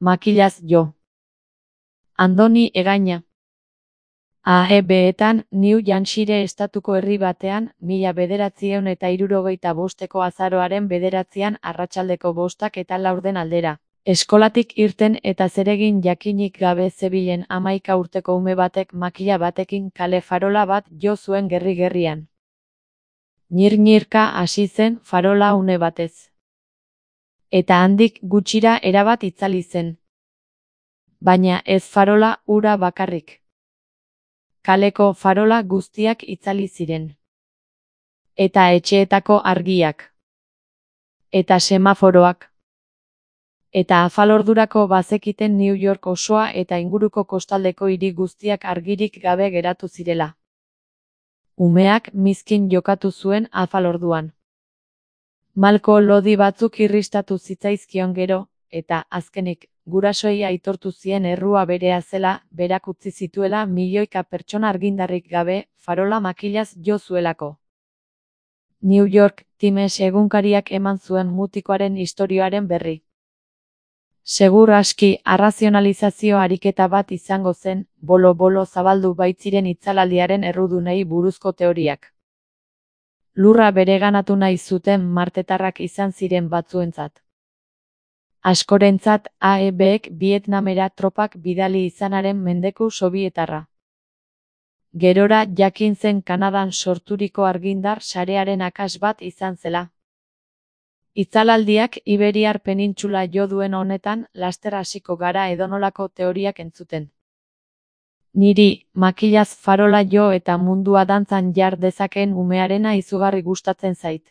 Makilaz jo. Andoni Egaña. AEB-etan New Hampshire estatuko herri batean, 1965ko azaroaren 9 arratsaldeko 5:04 aldera. Eskolatik irten eta zeregin jakinik gabe zebilen 11 urteko ume batek makila batekin kale farola bat jo zuen gerri-gerrian. Ñir-ñirka hasi zen farola une batez. Eta handik gutxira erabat itzali zen. Baina ez farola ura bakarrik. Kaleko farola guztiak itzali ziren. Eta etxeetako argiak. Eta semaforoak. Eta afalordurako bazekiten New York osoa eta inguruko kostaldeko hiri guztiak argirik gabe geratu zirela. Umeak mizkin jokatu zuen afalorduan. Malko lodi batzuk irristatu zitzaizkion gero, eta, azkenik, gurasoei aitortu zien errua berea zela, berak utzi zituela milioika pertsona argindarrik gabe, farola makilaz jo zuelako. New York Times egunkariak eman zuen mutikoaren istorioaren berri. Segur aski arrazionalizazio ariketa bat izango zen, bolo-bolo zabaldu baitziren itzalaldiaren errudunei buruzko teoriak. Lurra bereganatu nahi zuten martetarrak izan ziren batzuentzat. Askorentzat AEB-ek Vietnamera tropak bidali izanaren mendeku sobietarra. Gerora jakin zen Kanadan sorturiko argindar sarearen akas bat izan zela. Itzalaldiak Iberiar penintsula jo duen honetan laster hasiko gara edonolako teoriak entzuten. Niri, makilaz farola jo eta mundua dantzan jar dezakeen umearena izugarri gustatzen zait.